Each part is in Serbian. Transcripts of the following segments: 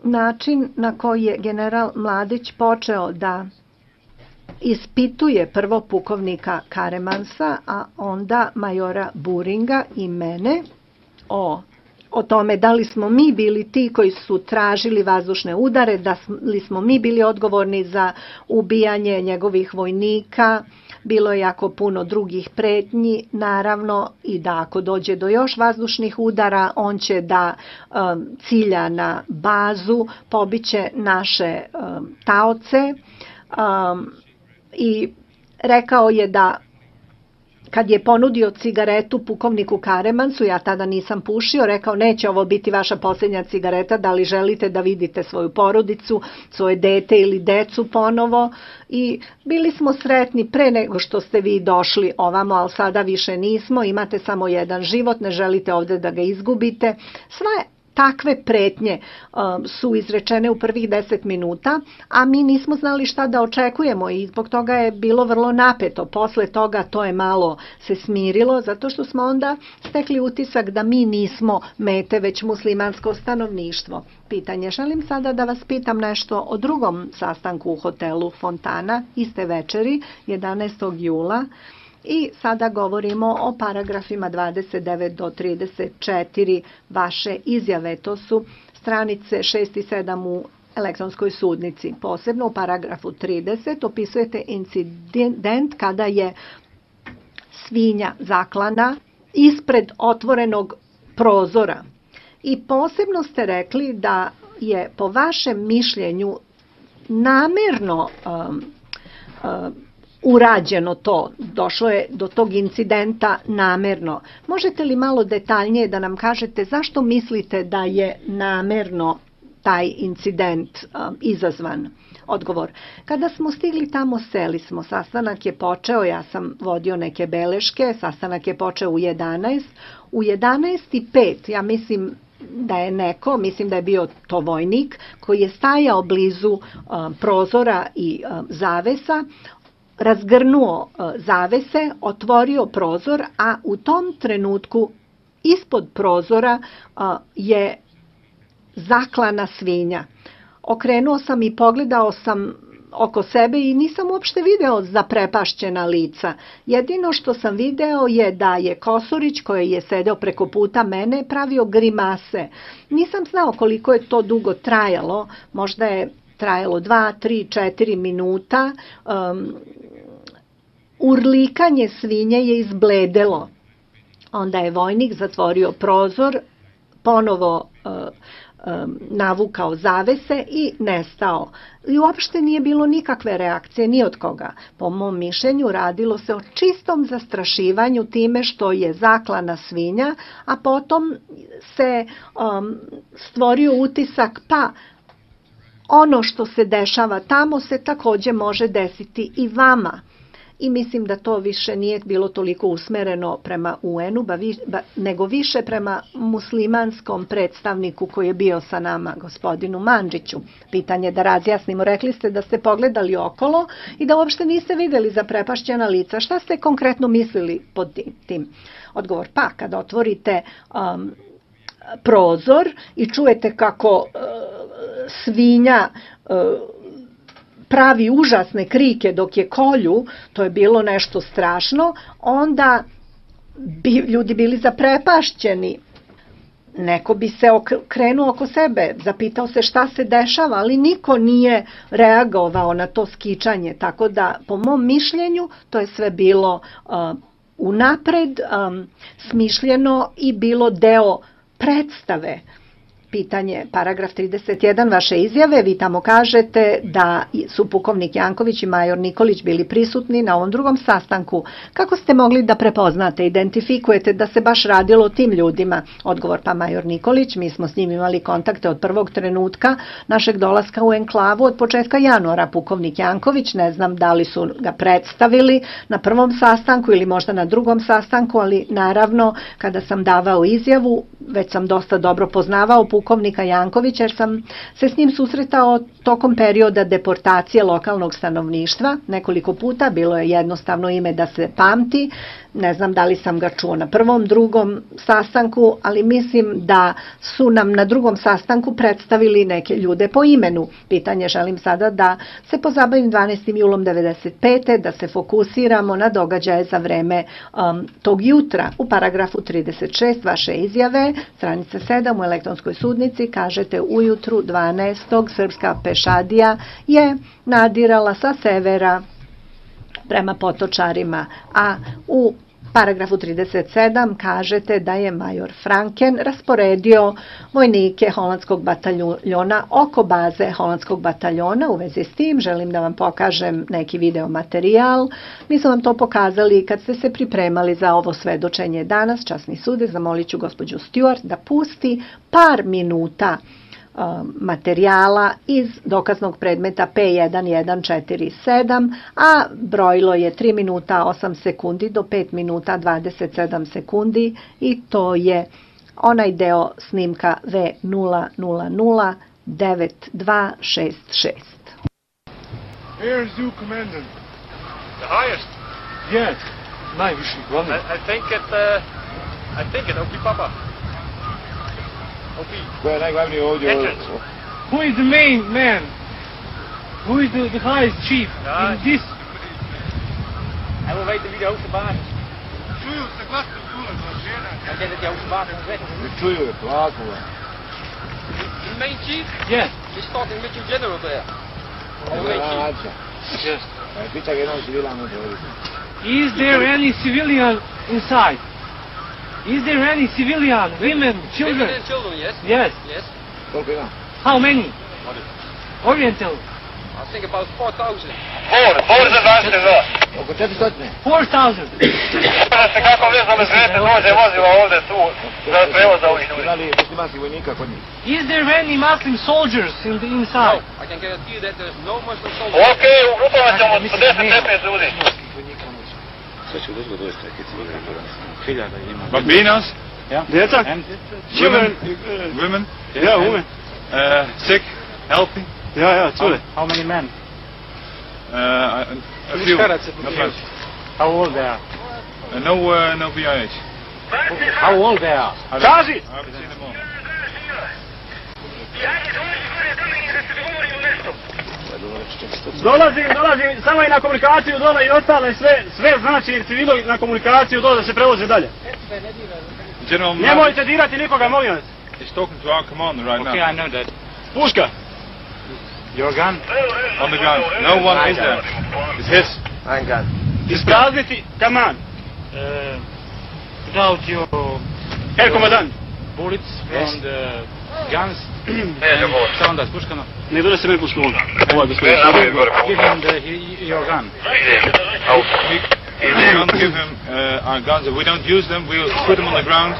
način na koji je general Mladić počeo da ispituje prvo pukovnika Karemansa, a onda majora Buringa i mene o tome da li smo mi bili ti koji su tražili vazdušne udare, da li smo mi bili odgovorni za ubijanje njegovih vojnika. Bilo je jako puno drugih pretnji, naravno, i da ako dođe do još vazdušnih udara, on će da cilja na bazu, pobiće naše taoce, i rekao je da kad je ponudio cigaretu pukovniku Karemansu, ja tada nisam pušio, rekao neće ovo biti vaša posljednja cigareta, da li želite da vidite svoju porodicu, svoje dete ili decu ponovo, i bili smo sretni pre nego što ste vi došli ovamo, ali sada više nismo, imate samo jedan život, ne želite ovde da ga izgubite. Sve takve pretnje su izrečene u prvih 10 minuta, a mi nismo znali šta da očekujemo i zbog toga je bilo vrlo napeto. Posle toga to je malo se smirilo, zato što smo onda stekli utisak da mi nismo mete, već muslimansko stanovništvo. Pitanje, želim sada da vas pitam nešto o drugom sastanku u hotelu Fontana, iste večeri, 11. jula, i sada govorimo o paragrafima 29 do 34 vaše izjave. To su stranice 6 i 7 u elektronskoj sudnici. Posebno u paragrafu 30 opisujete incident kada je svinja zaklana ispred otvorenog prozora. I posebno ste rekli da je po vašem mišljenju namerno urađeno to, došlo je do tog incidenta namerno. Možete li malo detaljnije da nam kažete zašto mislite da je namerno taj incident izazvan? Odgovor. Kada smo stigli tamo, seli smo. Sastanak je počeo, ja sam vodio neke beleške, sastanak je počeo u 11. U 11:05, ja mislim da je mislim da je bio to vojnik, koji je stajao blizu prozora i zavesa, razgrnuo zavese, otvorio prozor, a u tom trenutku ispod prozora je zaklana svinja. Okrenuo sam i pogledao sam oko sebe i nisam uopšte video zaprepašćena lica. Jedino što sam video je da je Kosorić, koji je sedeo preko puta mene, pravio grimase. Nisam znao koliko je to dugo trajalo, možda je trajalo 2, 3, 4 minuta. Urlikanje svinje je izbledelo. Onda je vojnik zatvorio prozor, ponovo navukao zavese i nestao. I uopšte nije bilo nikakve reakcije ni od koga. Po mom mišljenju radilo se o čistom zastrašivanju time što je zaklana svinja, a potom se stvorio utisak pa ono što se dešava tamo se takođe može desiti i vama. I mislim da to više nije bilo toliko usmereno prema UN-u, nego više prema muslimanskom predstavniku koji je bio sa nama, gospodinu Mandžiću. Pitanje da razjasnimo, rekli ste da ste pogledali okolo i da uopšte niste videli zaprepašćena lica. Šta ste konkretno mislili pod tim? Odgovor, pa kad otvorite prozor i čujete kako svinja pravi užasne krike dok je kolju, to je bilo nešto strašno, onda bi ljudi bili zaprepašćeni. Neko bi se okrenuo oko sebe, zapitao se šta se dešava, ali niko nije reagovao na to skičanje, tako da po mom mišljenju to je sve bilo unapred smišljeno i bilo deo predstave. Pitanje, paragraf 31 vaše izjave, vi tamo kažete da su pukovnik Janković i major Nikolić bili prisutni na ovom drugom sastanku. Kako ste mogli da prepoznate, identifikujete da se baš radilo o tim ljudima? Odgovor, pa major Nikolić, mi smo s njim imali kontakte od prvog trenutka našeg dolaska u enklavu od početka januara. Pukovnik Janković, ne znam da li su ga predstavili na prvom sastanku ili možda na drugom sastanku, ali naravno kada sam davao izjavu, već sam dosta dobro poznavao pukovnika pukovnika Jankovića, jer sam se s njim susretao tokom perioda deportacije lokalnog stanovništva nekoliko puta. Bilo je jednostavno ime da se pamti. Ne znam da li sam ga čuo na prvom, drugom sastanku, ali mislim da su nam na drugom sastanku predstavili neke ljude po imenu. Pitanje želim sada da se pozabavim 12. julom 1995. da se fokusiramo na događaje za vreme tog jutra. U paragrafu 36 vaše izjave, stranica 7 u elektronskoj sudnici, kažete ujutru 12. srpska pešadija je nadirala sa severa prema Potočarima, a u paragrafu 37 kažete da je major Franken rasporedio vojnike holandskog bataljona oko baze holandskog bataljona. U vezi s tim želim da vam pokažem neki video materijal. Mi smo vam to pokazali kad ste se pripremali za ovo svedočenje danas. Časni sude, zamolit ću gospođu Stewart da pusti par minuta materijala iz dokaznog predmeta P1147, a brojilo je 3 minuta 8 sekundi do 5 minuta 27 sekundi i to je onaj deo snimka V0009266. Air Zoo Commandant. The highest? Yes. Najviši glavni. I think it Opi Papa. Opi. Ko je najglavniji ovdje? Who is the main man? Who is the highest chief in this? Hij wil weten wie de hoogste baas is. Čuju se glasno čule za žena. Hij denkt dat de hoogste baas moet weten. Čuju je, plakula. The main chief? Yes. He's talking with your general there. The main chief. Yes. Pita ga jednom civilan uđe. Is there any civilian inside? Is there any civilian, women, children? Women and children, yes. Yes. Yes. Koliko ima? How many? What is it? Oriental. I think about 4,000. Four za zaštitu za. Oko 400. 4,000. Da se kako vezno bez vete dođe vozilo ovdje tu za prevoz za ovih ljudi. Ima li muslimanskih vojnika kod njih? Is there any Muslim soldiers in the No, inside? I can guarantee you that there's no Muslim soldiers. Ok, u grupama ćemo 10-15 ljudi. Sve će došlo doći takve civilne operacije. Hiljada ima. Bambinos? Ja? Djeca? Children. Women? Yeah, women. Sick? Healthy? Yeah, children. How many men? A few. Not much. How old they are? No BIH. How old they are? Kaži! I haven't seen them all. Dolazim, samo i na komunikaciju dole i ostale sve znači civilo na komunikaciju dole da se prevoze dalje. General Nemojte dirati nikoga, molim vas. is talking to our commander right Okay, now. I know that. Puška. Your gun? On the gun. No one is there. It's his. Isprazniti kaman. Without your Herr komandant. bullets from the guns? Šta onda s puškama? Ne dole se meni pušku onda. Ovo je gospodin. Give him your gun. We can't give him our guns. If we don't use them, we'll put them on the ground.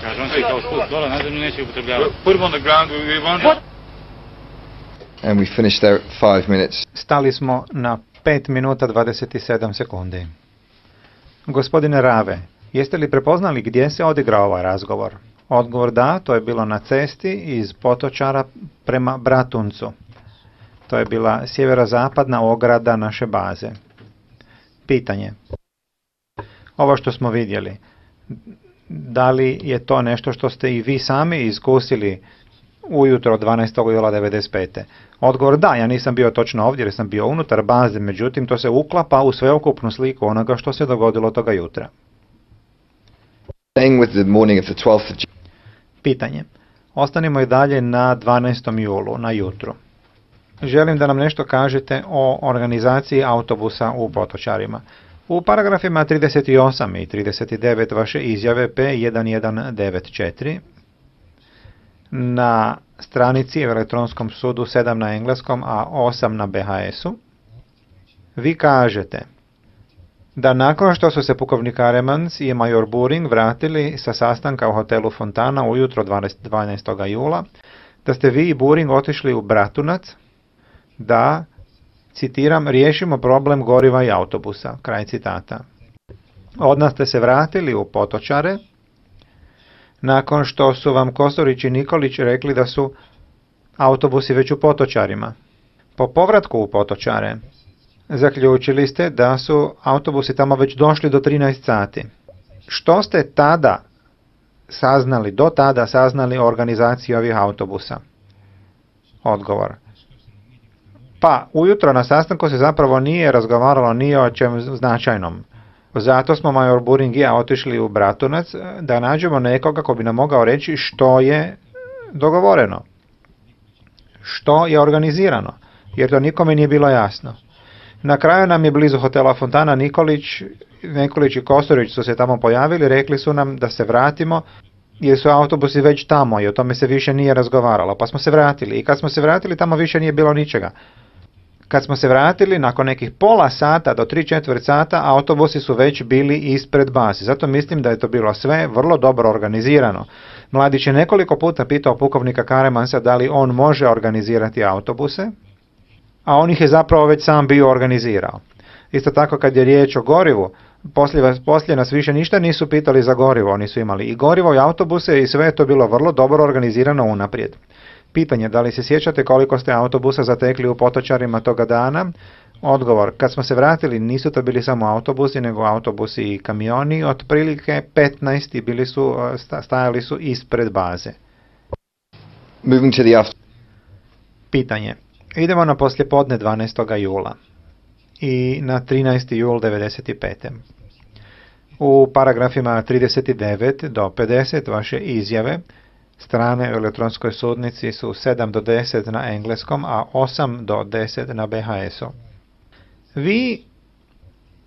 Kaže, on će kao sput dole, na zemlju neće upotrebljavati. We'll put them on the ground. We won't. And we finished there at 5 minutes. Stali smo na 5 minuta 27 sekundi. Gospodine Rave, jeste li prepoznali gdje se odigrao ovaj razgovor? Odgovor da, to je bilo na cesti iz Potočara prema Bratuncu. To je bila sjeverozapadna ograda naše baze. Pitanje. Ovo što smo vidjeli, da li je to nešto što ste i vi sami iskusili ujutro 12. jula 1995. Odgovor da, ja nisam bio točno ovdje jer sam bio unutar baze, međutim to se uklapa u sveukupnu sliku onoga što se dogodilo toga jutra. Staying with the morning of the 12th of Pitanje. Ostanimo i dalje na 12. julu, na jutru. Želim da nam nešto kažete o organizaciji autobusa u Potočarima. U paragrafima 38 i 39 vaše izjave P1194 na stranici u elektronskom sudu 7 na engleskom, a 8 na BHS-u, vi kažete da nakon što su se pukovnik Aremans i major Buring vratili sa sastanka u hotelu Fontana ujutro 12. jula, da ste vi i Buring otišli u Bratunac da, citiram, riješimo problem goriva i autobusa, kraj citata. Odmah ste se vratili u Potočare, nakon što su vam Kosorić i Nikolić rekli da su autobusi već u Potočarima. Po povratku u Potočare zaključili ste da su autobusi tamo već došli do 13 sati. Što ste do tada saznali o organizaciji ovih autobusa? Odgovor. Pa, ujutro na sastanku se zapravo nije razgovaralo ni o čem značajnom. Zato smo major Buring i ja otišli u Bratunac da nađemo nekoga ko bi nam mogao reći što je dogovoreno, što je organizirano, jer to nikome nije bilo jasno. Na kraju nam je blizu hotela Fontana Nikolić i Kosorić su se tamo pojavili, rekli su nam da se vratimo jer su autobusi već tamo i o tome se više nije razgovaralo, pa smo se vratili i kad smo se vratili tamo više nije bilo ničega. Kad smo se vratili, nakon nekih pola sata do 3/4 sata, autobusi su već bili ispred baze. Zato mislim da je to bilo sve vrlo dobro organizirano. Mladić je nekoliko puta pitao pukovnika Karemansa da li on može organizirati autobuse, a on ih je zapravo već sam bio organizirao. Isto tako kad je riječ o gorivu, poslije nas više ništa nisu pitali za gorivo, oni su imali i gorivo i autobuse i sve je to bilo vrlo dobro organizirano unaprijed. Pitanje, da li se sjećate koliko ste autobusa zatekli u Potočarima toga dana? Odgovor, kad smo se vratili nisu to bili samo autobusi, nego autobusi i kamioni, otprilike 15 i stajali su ispred baze. Moving to the Pitanje, idemo na poslijepodne 12. jula i na 13. jul 95. U paragrafima 39 do 50 vaše izjave strane u elektronskoj sudnici su 7 do 10 na engleskom, a 8 do 10 na BHS-u. Vi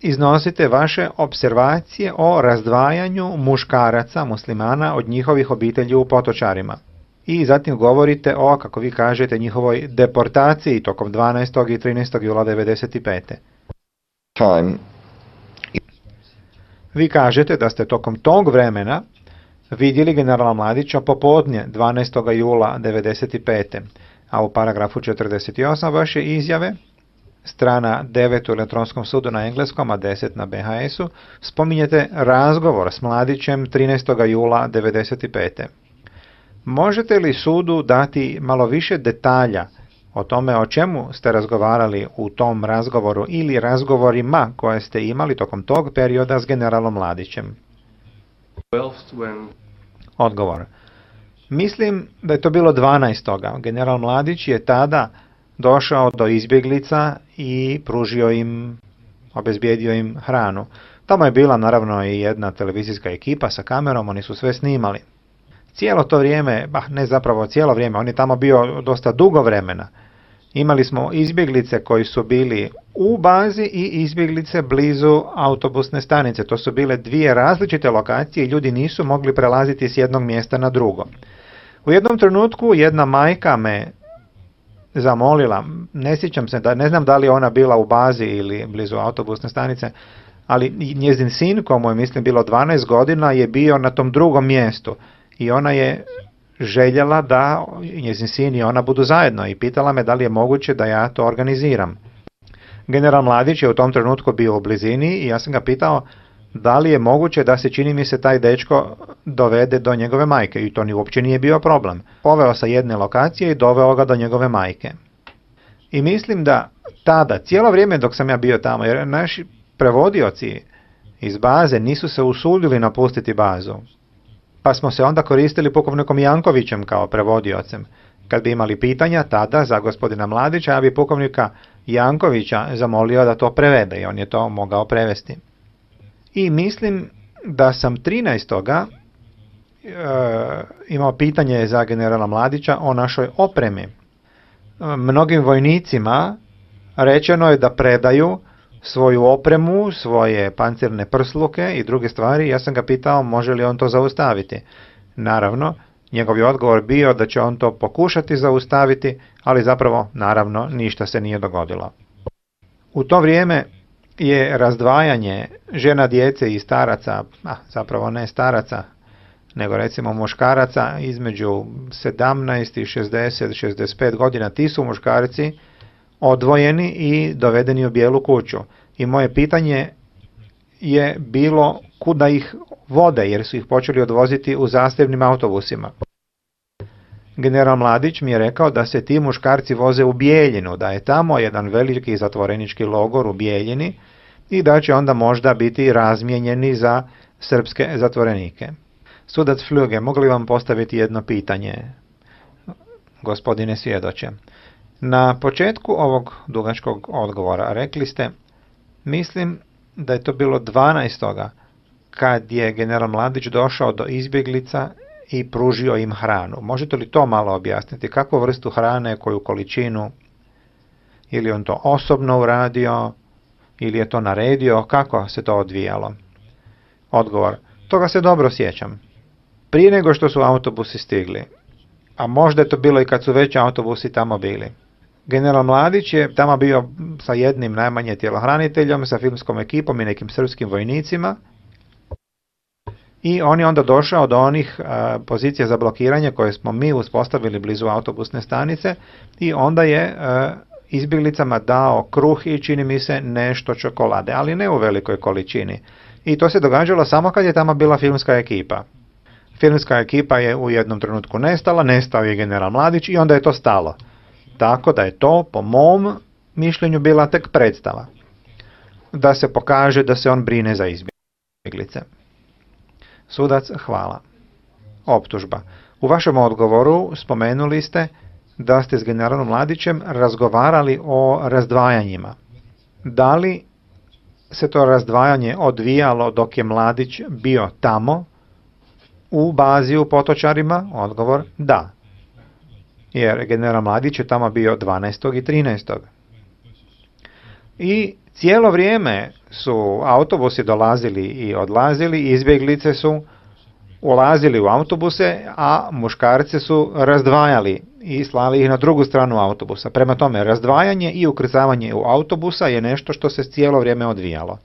iznosite vaše observacije o razdvajanju muškaraca muslimana od njihovih obitelji u Potočarima. I zatim govorite o, kako vi kažete, njihovoj deportaciji tokom 12. i 13. jula 95. time. Vi kažete da ste tokom tog vremena vidjeli generala Mladića popodne 12. jula 95. A u paragrafu 48 vaše izjave, strana 9 u elektronskom sudu na engleskom, a 10 na BHS-u, spominjete razgovor s Mladićem 13. jula 95. Možete li sudu dati malo više detalja o tome o čemu ste razgovarali u tom razgovoru ili razgovorima koje ste imali tokom tog perioda s generalom Mladićem? Odgovor. Mislim da je to bilo 12. General Mladić je tada došao do izbjeglica i pružio im, obezbijedio im hranu. Tamo je bila naravno i jedna televizijska ekipa sa kamerom, oni su sve snimali. Cijelo to vrijeme, ne zapravo cijelo vrijeme, on je tamo bio dosta dugo vremena. Imali smo izbjeglice koji su bili u bazi i izbjeglice blizu autobusne stanice. To su bile dvije različite lokacije i ljudi nisu mogli prelaziti s jednog mjesta na drugo. U jednom trenutku jedna majka me zamolila, ne sjećam se, ne znam da li ona bila u bazi ili blizu autobusne stanice, ali njezin sin, komu je mislim bilo 12 godina, je bio na tom drugom mjestu i ona je željela da njezin sin i ona budu zajedno i pitala me da li je moguće da ja to organiziram. General Mladić je u tom trenutku bio u blizini i ja sam ga pitao da li je moguće da se, čini mi se, taj dečko dovede do njegove majke i to uopće nije bio problem. Poveo sa jedne lokacije i doveo ga do njegove majke. I mislim da tada, cijelo vrijeme dok sam ja bio tamo, jer naši prevodioci iz baze nisu se usudili napustiti bazu, pa smo se onda koristili pukovnikom Jankovićem kao prevodiocem. Kad bi imali pitanja tada za gospodina Mladića, ja bi pukovnika Jankovića zamolio da to prevede i on je to mogao prevesti. I mislim da sam 13. Imao pitanje za generala Mladića o našoj opremi. Mnogim vojnicima rečeno je da predaju svoju opremu, svoje pancirne prsluke i druge stvari. Ja sam ga pitao može li on to zaustaviti. Naravno, njegov je odgovor bio da će on to pokušati zaustaviti, ali zapravo, naravno, ništa se nije dogodilo. U to vrijeme je razdvajanje žena, djece i staraca, zapravo ne staraca, nego recimo muškaraca između 17 i 60-65 godina, ti su muškarci odvojeni i dovedeni u bijelu kuću. I moje pitanje je bilo kuda ih vode, jer su ih počeli odvoziti u zasebnim autobusima. General Mladić mi je rekao da se ti muškarci voze u Bijeljinu, da je tamo jedan veliki zatvorenički logor u Bijeljini i da će onda možda biti razmijenjeni za srpske zatvorenike. Sudac Fljuge, mogu li vam postaviti jedno pitanje, gospodine svjedoče? Na početku ovog dugačkog odgovora rekli ste, mislim da je to bilo 12. kad je general Mladić došao do izbjeglica i pružio im hranu. Možete li to malo objasniti? Kakvu vrstu hrane, koju količinu? Ili on to osobno uradio? Ili je to naredio? Kako se to odvijalo? Odgovor. Toga se dobro sjećam. Prije nego što su autobusi stigli. A možda je to bilo i kad su već autobusi tamo bili. General Mladić je tamo bio sa jednim najmanje tjelohraniteljom, sa filmskom ekipom i nekim srpskim vojnicima. I on je onda došao do onih pozicija za blokiranje koje smo mi uspostavili blizu autobusne stanice i onda je izbjeglicama dao kruh i čini mi se nešto čokolade, ali ne u velikoj količini. I to se događalo samo kad je tamo bila filmska ekipa. Filmska ekipa je u jednom trenutku nestala, nestao je general Mladić i onda je to stalo. Tako da je to, po mom mišljenju, bila tek predstava. Da se pokaže da se on brine za izbjeglice. Sudac, hvala. Optužba. U vašem odgovoru spomenuli ste da ste s generalom Mladićem razgovarali o razdvajanjima. Da li se to razdvajanje odvijalo dok je Mladić bio tamo, u bazi u Potočarima? Odgovor, da. Jer general Mladić je tamo bio 12. i 13. I cijelo vrijeme su autobusi dolazili i odlazili, izbjeglice su ulazili u autobuse, a muškarce su razdvajali i slali ih na drugu stranu autobusa. Prema tome, razdvajanje i ukrcavanje u autobusa je nešto što se cijelo vrijeme odvijalo.